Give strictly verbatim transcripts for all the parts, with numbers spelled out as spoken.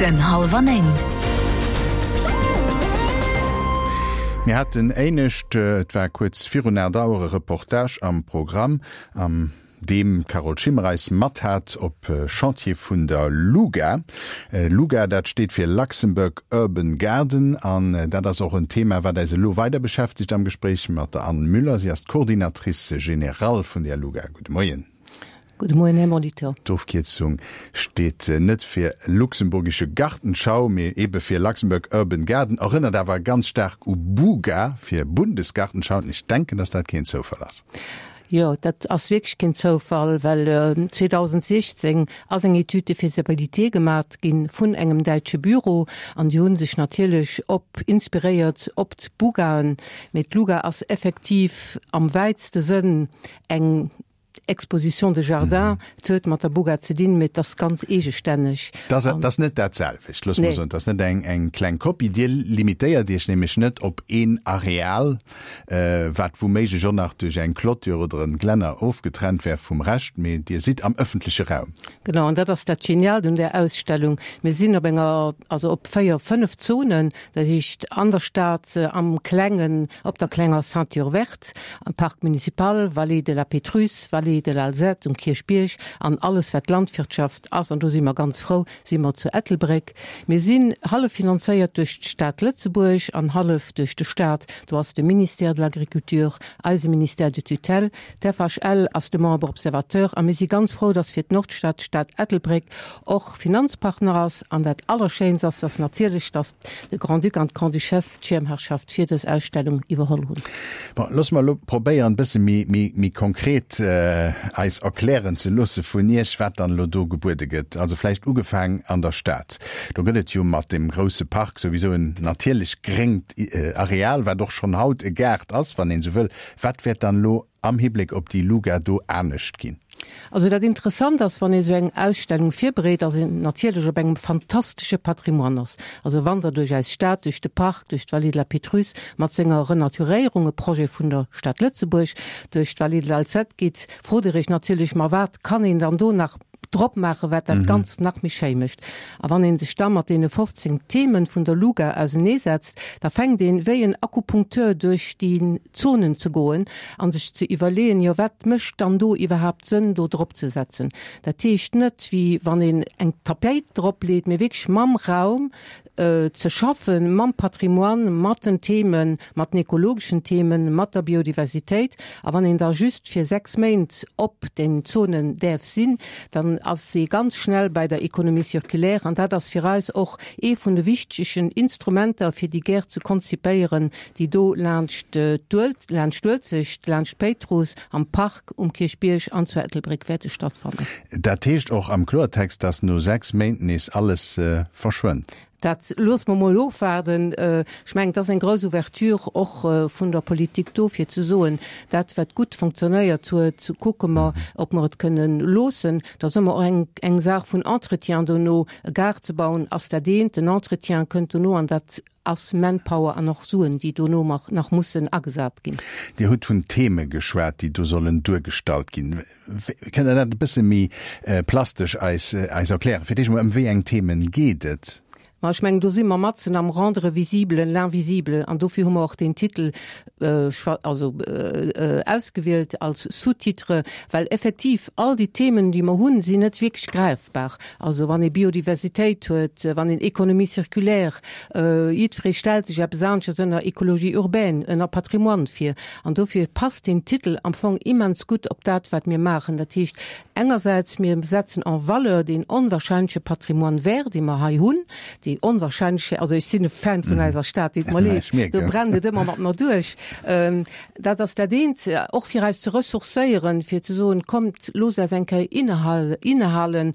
Den Hallwer Néng. Mir haten éinescht, et war kuerz virun aacht Auer, e Reportage am Programm, am deem d'Carole Schimmer eis mat hat op Chantier vun der LUGA. LUGA, dat steet fir Luxembourg Urban Garden an dat ass och en Thema, wat eis elo weider beschäftegt am Gespréich mat der Anne Müller. Si ass d'Coordinatrice générale vun der LUGA. Gudde Moien. Gudde Moien, Här Molitor. D'Ofkierzung steet net fir Luxemburgische Gartenschau, mee ebe fir Luxembourg Urban Garden, erënnert awer ganz staark u BUGA fir Bundesgartenschau. An ech denken, dass dat keen Zoufall ass. Jo, dat ass wierklech keen Zoufall, well zweedausendsechzéng ass eng Étude de faisabilité gemat gi vun engem däitsche Büro an déi hu sech natierlech op inspiréiert op d'BUGAen. Mee d'LUGA ass effektiv am wäitste Sënn eng Exposition de jardins. Et huet mat der BUGA ze dinn, mee et ass ganz eegestänneg. Dat ass net dat selwecht, loosse mer soen. Dat ass net eng, eng kleng Kopie. Dir limitéiert Iech nämlech net op een Areal, wat wouméiglech och nach duerch eng Clôture oder en Glänner ofgetrennt wär vum Rescht, mee Dir sidd am ëffentleche Raum. Genau, an dat ass dat Geniaalt un där Ausstellung. Mir sinn op enger, also op véier, fënnef Zonen, dat heescht an der Stad, am klengen, op der klenger Ceinture verte, am Parc municipal, Vallée de la Pétrusse, Vallée de l'Alzette, um Kierchbierg an alles wat Landwirtschaft ass, an do si mer ganz frou, si mer zu Ettelbréck. Mir sinn hallef finanzéiert duerch d'Stad Lëtzebuerg an hallef duerch de Staat. Do ass de Ministère de l'Agriculture eise Ministère de tutelle, d'FHL ass de Membre observateur a mir si ganz frou, dass fir d'Nordstad d'Stad Ettelbréck och Finanzpartner ass. An dat Allerschéinst ass, dass natierlech, dass de Grand-Duc an d'Grande-Duchesse d'Schirmherrschaft fir dës Ausstellung iwwerholl hunn. Bon, loosse mer elo probéieren, e bësse méi, méi, méi konkret eis erklären ze loosse vun Iech, wat dann elo do gebuede gëtt. Also vläicht ugefaang an der Stad. Do gëtt et jo mat deem grouse Park souwisou en natierlech gréngt Areal, wat och schonn haut e Gaart ass, wann een esou wëll. Wat wäert dann elo am Hibléck op déi Luga do anescht ginn? Also dat Interessant ass, wann ee sou eng Ausstellung virbereet, dass een natierlech op engem fantastesche Patrimoine ass. Also wann Der duerch eis Stad, duerch de Park, duerch d'Vallée de la Pétrusse mat senger Renaturéierung, e Projet vun der Stad Lëtzebuerg, duerch d'Vallée de l'Alzette gitt, frot Der Iech natierlech, ma wat kann een dann do nach drop maachen, wat dat Ganzt nach méi schéi mécht. A wann ee sech da mat deene fofzéng Themen vun der Luga auseneesetzt, da fänkt een wéi en Akupunkteur duerch déi Zonen ze goen a sech ze iwwerleeën, jo wat mécht dann do iwwerhaapt Sënn do drop ze setzen. Dat heescht net wéi wann een eng Tapéit drop leet, mee wierklech mam Raum ze schaffen, mam Patrimoine, mat den Themen, mat den ekologeschen Themen, mat der Biodiversitéit. A wann een da just fir sechs Méint op den Zonen däerf sinn, dann ass ee ganz schnell bei der Économie circulaire. An dat ass fir eis och ee vun de wichtegen Instrumenter, fir déi Gäert ze konzipéieren, déi do laanscht laanscht d'Uelzecht, laanscht d'Péitruss, am Park, um Kierchbierg an zu Ettelbréck wäerte stattfannen. Dat heescht och am Kloertext, dass no sechs Méint nees alles verschwënnt? Dat loosse mer mol ofwaarden. Ech mengen, et ass eng grouss Ouverture och vun der Politik do, fir ze soen, dat wat gutt fonctionnéiert huet, kucke mer, ob mer et kënnen loossen. Et ass ëmmer och eng, eng Saach vun Entretien dono. E Gaart ze bauen ass dat eent, den Entretien kënnt dono an dat ass Manpower an och Suen, déi dono nach mussen agesat ginn. Dir hutt vun Theme geschwat, déi do sollen duergestallt ginn. Kënnt Der dat e bësse méi plastesch eis, eis erklären? Fir d'éischt emol, ëm wéi eng Themen geet et? Ma ech mengen, do si mer matzen am rendre visible l'invisible an dofir hu mer och deen Titel also ausgewielt als Sous-titre, well effektiv all déi Themen, déi mer hunn, sinn net wierklech gräifbar. Also wann ee Biodiversitéit huet, wann een Économie circulaire, jiddweree stellt sech eppes aneschters ënner Écologie urbaine, ënner Patrimoine vir. An dofir passt deen Titel am Fong immens gutt op dat, wat mir maachen. Dat heescht engersäits, mir setzen en valeur deen onwahrscheinleche Patrimoine vert, dee mer hei hunn, déi onwahrscheinlech, also ech sinn e Fan vun eiser Stad, deet mer leed, do brennt et ëmmer mat mer duerch. Dat ass dat eent, och fir eis ze ressourcéieren, fir ze soen, kommt, loosst eis eng Kéier innehalen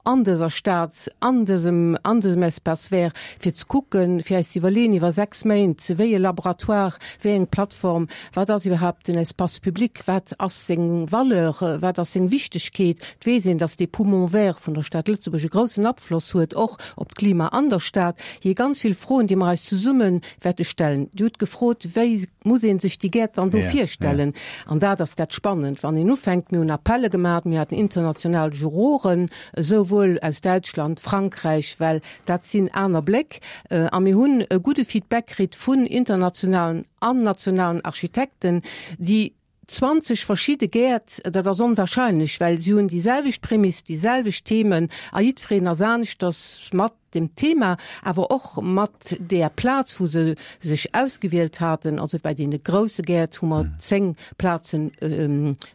an dëser Stad, an dësem, an dësem Espace vert, fir ze kucken, fir eis ze iwwerleeën iwwer sechs Méint, wéi e Laboratoire, wéi eng Plattform, wat ass iwwerhaapt den Espace public, wat ass seng Valeur, wat ass seng Wichtegkeet. Et weess een, dass dee Poumon vert vun der Stad Lëtzebuerg e groussen Afloss huet och op d'Klima an der Stad. Hier ganz vill Froen, déi mer eis zesumme wäerte stellen. Dir hutt gefrot, wéi muss ee sech déi Gäert dann do virstellen? An dat ass dat Spannend, wann een ufänkt. Mir hunn Appelle gemaach, mir haten international Juroren, esou souwuel aus Däitschland, Frankräich, well dat sinn aner Bléck. A mir hunn e gudde Feedback kritt vun internationalen an nationalen Architekten, déi zwanzeg verschidde Gäert, dat ass onwahrscheinlech, well si hunn déi selwecht Prämiss, déi selwecht Themen a jiddwereen ass aneschters mat dem Thema, awer och mat där Plaz, wou se sech ausgewielt haten. Also bei deene grousse Gäert hu mer zéng Plazen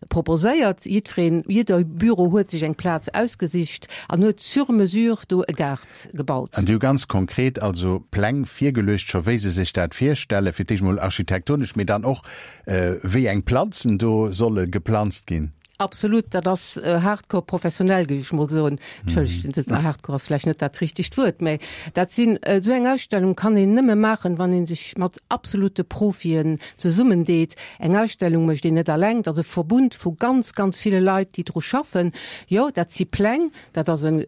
proposéiert. Jiddwereen, jidder Büro huet sech eng Plaz ausgesicht an huet sur mesure do e Gaart gebaut. An déi hu ganz konkret also Pläng virgeluecht scho wéi se sech dat virstellen, fir d'éischt mol architektonesch, mee dann och wéi eng Planzen do solle geplanzt ginn. Absolut, dat ass hardcore professionell, géif ech mol soen. Entschëllegt, hardcore ass vläicht net dat richtegt Wuert, mä dat sinn, esou eng Ausstellung kann een nëmme maachen, wann ee sech mat absolute Profien zesummendeet. Eng Ausstellung mécht een net alleng, dat ass e Verbund vu ganz, ganz ville Leit, déi dru schaffen. Jo, dat si Pläng, dat ass e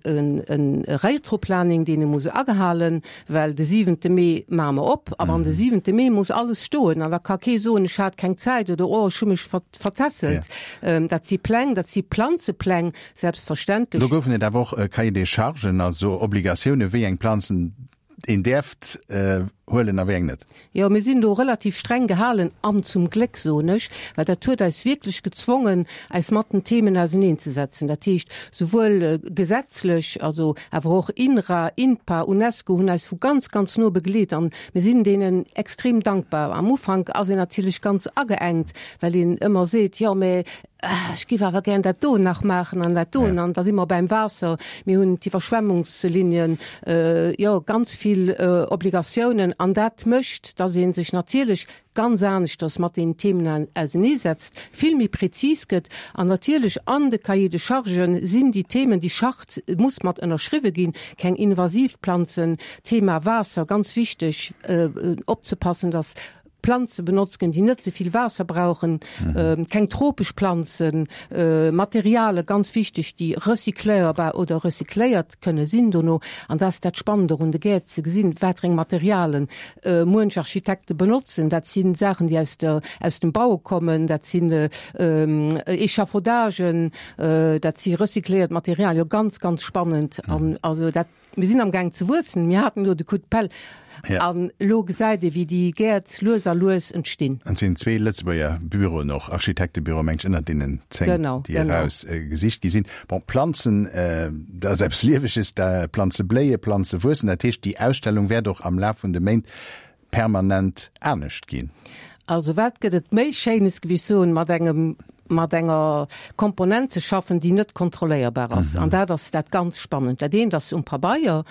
Rétroplaning, deen ee muss agehalen, well de siwente Mee maache mer op a wann de siwente Mee muss alles stoen an da ka kee soen, ech hat keng Zäit oder oh, ech hu mech vertässelt. Dat si Pläng, dat si Planzepläng, selbstverständlech. Do goufen et awer och Cahier des charges, also Obligatioune wéi eng Planzen een däerft huelen a wéi eng net. Jo, mir sinn do relativ streng gehalen, an zum Gléck, soen ech, well dat huet eis wierklech gezwongen, eis mat den Themen auserneenzesetzen. Dat heescht, souwuel gesetzlech, also awer och INRA, INPA, UNESCO hunn eis vu ganz, ganz no begleet an mir sinn deenen extrem dankbar. Am Ufank ass een natierlech ganz ageengt, well een ëmmer seet, jo, mä ech géif awer gär dat do nach maachen an dat doen. An da si mer beim Waasser, mir hunn d'Iwwerschwemmungslinien, jo, ganz vill Obligatiounen. An dat mécht, dass ee sech natierlech ganz aneschters mat deenen Themen auseneesetzt, vill méi prezis gëtt. An natierlech an de Cahier de charges sinn déi Themen, déi Charte muss mat ënnerschriwwe ginn, keng invasiv Planzen, Thema Waasser, ganz wichteg opzepassen, dass Planze benotzt ginn, déi net ze vill Waasser brauchen, keng tropesch Planzen, Materiale, ganz wichteg, déi recycléierbar oder recycléiert kënne sinn dono. An dat ass dat Spannend och un de Gäert, ze gesinn, wat fir eng Materialen muench Architekte benotzen. Dat si Saachen, déi aus der, aus dem Baue kommen, dat sinn Echafaudagen, dat si recycléiert Materialien. Jo, ganz, ganz spannend. An also dat, mir sinn amgaang ze wuessen. Mir haten elo de Coup de pelle. An elo gesäit ee wéi déi Gäert lues a lues entstinn. An et sinn zwee Lëtzebuerger Büroen och, Architektebüroe meng ech, ënnert deenen zéng, déi eraus gesicht gi sinn. Bon, Planzen, dat ass eppes Lieweges, da Planze bléien, Planze wuessen. Dat heescht, déi Ausstellung wäert och am Laf vun de Méint permanent anescht ginn. Also wat gëtt et méi Schéines, géif ech soen, mat engem mat enger Komponent ze schaffen, déi net kontrolléierbar ass. An dat ass dat ganz Spannend. Dat eent ass um Pabeier,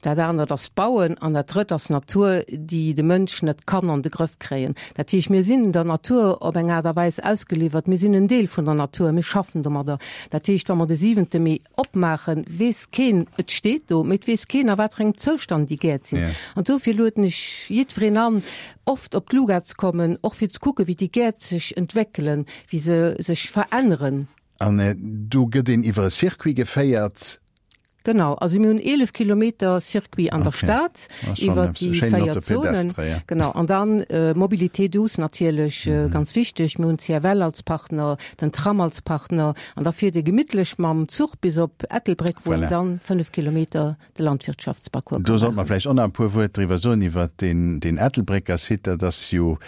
dat anert ass Bauen an dat drëtt ass Natur, déi de Mënsch net kann an de Grëff kréien. Dat heescht, mir sinn der Natur op eng Aart a Weis ausgeliwwert. Mir sinn en Deel vun der Natur, mir schaffen domadder. Dat heescht, wa mer de siwente Mee opmaachen, weess keen, et steet do, mee et weess keen, a wat fir engem Zoustand déi Gäert sinn. An dofir lueden ech jiddwereen an, oft op d'Luga ze kommen, och fir ze kucken, wéi déi Gäert sech entwéckelen, wéi se sech veränneren. An do gëtt een iwwer e Circuit geféiert? Genau, also mir hunn eelef Kilometer Circuit an der Stad iwwer déi véier Zonen. Genau, an dann Mobilité douce natierlech ganz wichteg. Mir hunn d'CFL als Partner, den Tram als Partner an da fiert ee gemittlech mam Zuch bis op Ettelbréck, wou een dann fënnef Kilometer de Landwirtschaftsparcours Do sollt mer vläicht och nach e puer Wuert driwwer soen, iwwer deen, deen Ettelbrécker Site. Dat ass jo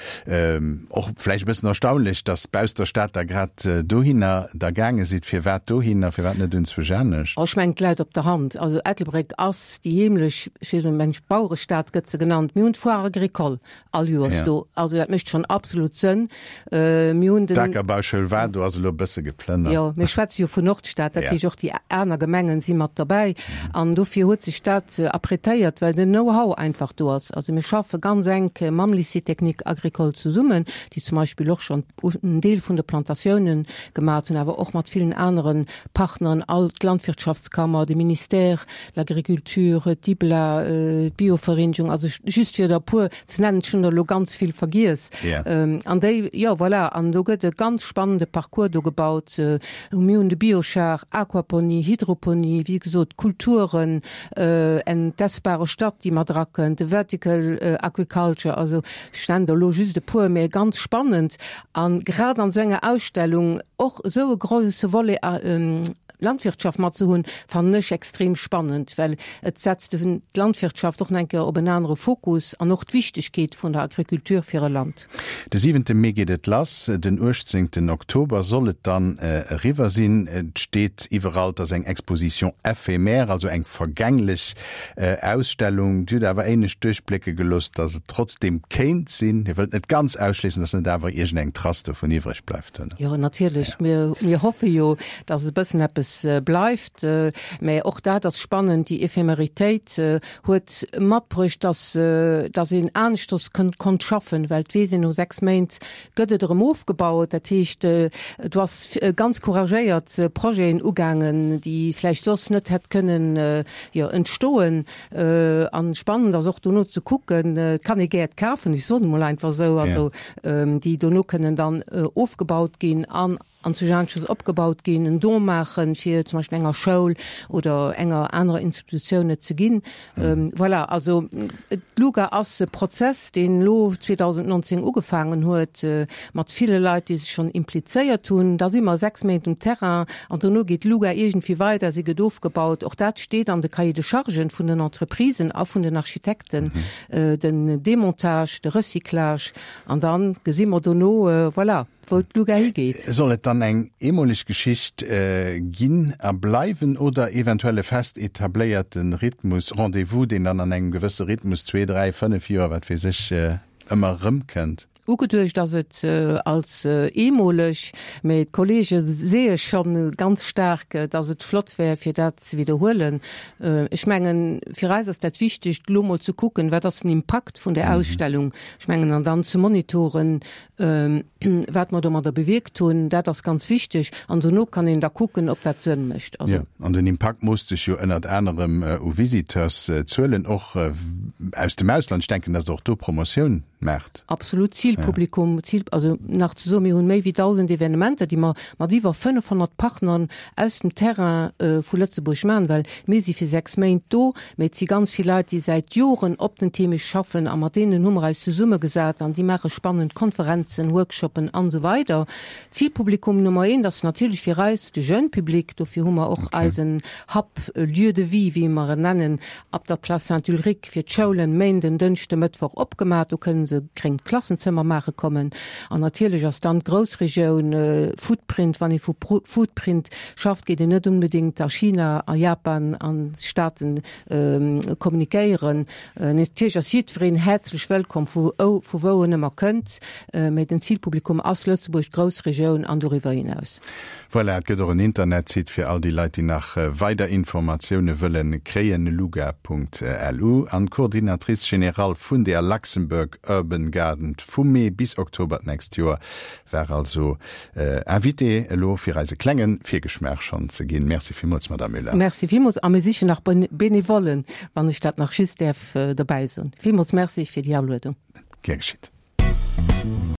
och vläicht e bëssen erstaunlech, dass bausst der Stad Der grad dohinner da gaange sidd. Firwat dohinner, firwat net enzwousch anescht? Oh, ech mengen, et läit op der Hand. Also Ettelbréck ass déi heemlech, ech weess net, mengen ech, Bauerestad gëtt se genannt. Mir hunn d'Foire agricole all Joers do. Also dat mécht schonn absolut Sënn. Mir hunn den. D'Akerbauschoul war do, ass elo e bësse geplënnert. Jo, mir schwätze jo vun Nordstad, dat heescht och déi aner Gemengen si mat derbäi. An dofir huet sech dat apprêtéiert, well den Know-how einfach do ass. Also mir schaffe ganz enk mam Lycée technique agricole zesummen, déi zum Beispill och schonn en Deel vun de Plantatiounen gemaat hunn, awer och mat villen anere Partneren, all d'Landwirtschaftskammer, de Ministère, l'Agriculture, d'IBLA, d'Biovereenegung, also just fir der e puer ze nennen, ech hunn der elo ganz vill vergiess. An déi, jo voilà, an do gëtt e ganz spannende Parcours do gebaut. Mir hunn de Biochar, Aquaponie, Hydroponie, wéi gesot, Kulturen, eng d'essbare Stadt, déi mat erakënnt, de Vertical Agriculture, also ech nennen der elo just e puer, mä ganz spannend. A grad an esou enger Ausstellung och esou e grouse Volet Landwirtschaft mat ze hunn, fannen ech extrem spannend, well et setzt d'Landwirtschaft och nach eng Kéier op en anere Fokus an och d'Wichtegkeet vun der Agriculture fir e Land. De siwente Mee geet et lass, den uechtzéngten Oktober soll et dann eriwwer sinn. Et steet iwwerall, et ass eng Exposition éphémère, also eng vergänglech Ausstellung. Dir hutt awer éinescht duerchblécke gelooss, datt et trotzdeem kéint sinn, Dir wëllt net ganz ausschléissen, datt net awer iergendeng Trace dovun iwwreg bleift, oder? Jo, natierlech. Mir, mir hoffe jo, datt e bëssen eppes bleift. Mä och dat ass spannend, déi Ephemeritéit huet matbruecht, datt, datt een aneschters konnt schaffen, well et weess een, no sechs Méint gëtt et erëm ofgebaut. Dat heescht, do ass ganz couragéiert Projeten ugaangen, déi vläicht soss net hätt kënnen, jo, entstoen. An spannend ass och dono ze kucken, et kann ee Gäert kafen, ech soen emol einfach esou, also déi dono kënnen dann ofgebaut ginn an an zu Jaansches opgebaut ginn, en Don maachen, fir zum Beispill enger Schoul oder enger anerer Institutioun et ze ginn. Voilà, also d'LUGA ass e Prozess, deen elo zweedausendnonzéng ugefaangen huet, mat ville Leit, déi sech schonn implizéiert hunn. Da si mer sechs Méint um Terrain an dono geet d'LUGA iergendwéi weider, si gëtt ofgebaut. Och dat steet an de Cahiers de chargen vun den Entreprisen a vun den Architekten, den Demontage, de Recyclage an da gesi mer dono, voilà, wou d'Luga higeet. Soll et dann eng eemoleg Geschicht ginn a bleiwen oder eventuell e fest etabléierte Rhythmus, Rendez-vous, deen dann an engem gewësse Rhythmus, zwee, dräi, fënnef Joer, wat weess ech, ëmmer erëmkënnt? Ugeduecht ass et als eemoleg, mee d'Kolleege seeë schonn ganz staark, datt et flott wär, fir dat ze widderhuelen. Ech mengen, fir eis ass dat Wichtegt, elo mol ze kucken, wat ass den Impakt vun där Ausstellung. Ech mengen, an dann ze monitoren, wat mer domadder bewierkt hunn, dat ass ganz wichteg. An dono kann een da kucken, ob dat Sënn mécht. Jo, an den Impakt moosst sech jo ënnert anerem u Visiteurszuelen, och aus dem Ausland. Ech denken, datt Der och do Promotioun maacht. Absolut, Zilpublikum, Zil, also nach ze soen, mir hunn méi wéi dausend Evenementer, déi mer mat iwwer fënnefhonnert Partnern aus dem Terrain vu Lëtzebuerg maachen, well mir si fir sechs Méint do, mä et si ganz vill Leit, déi säit Joren op den Theme schaffen a mat deenen hu mer eis zesummegesat an déi maache spannend Konferenzen, Workshoppen an esou weider. Zilpublikum Nummer eent ass natierlech fir eis de jeune Public, dofir hu mer och eisen Hub Lieu de vie, wéi mer en nennen, ab der Place Saint-Ulrich fir d'Schoulen, Méinden, Dënschde, Mëttwoch opgemaach. Do kënnen se gréngt Klassenzëmmer maache kommen. An natierlech ass dann d'Groussregioun Footprint. Wann ee vu Footprint schafft, geet een net onbedéngt a China, a Japan, an d'Staaten kommunikéieren. Natierlech ass jiddwereen häerzlech wëllkomm, vu vu wou en ëmmer kënnt, mee den Zilpublikum ass Lëtzebuerg, d'Groussregioun an doriwwer hinaus. Voilà, et gëtt och en Internetsite fir all déi Leit, déi nach weider Informatioune wëlle kréien, luga Punkt lu. An d'Coordinatrice générale vun der Luxembourg Urban Garden vu Mee bis Oktober d'nächst Joer war also Invitée elo fir eis e klenge Virgeschmaach schonn ze ginn. Merci villmools, Madame Müller. Merci villmools a mir sichen nach Benevollen, wann ech dat nach just däerf dobäi soen. Villmools Merci fir déi Aluedung. Gär geschitt.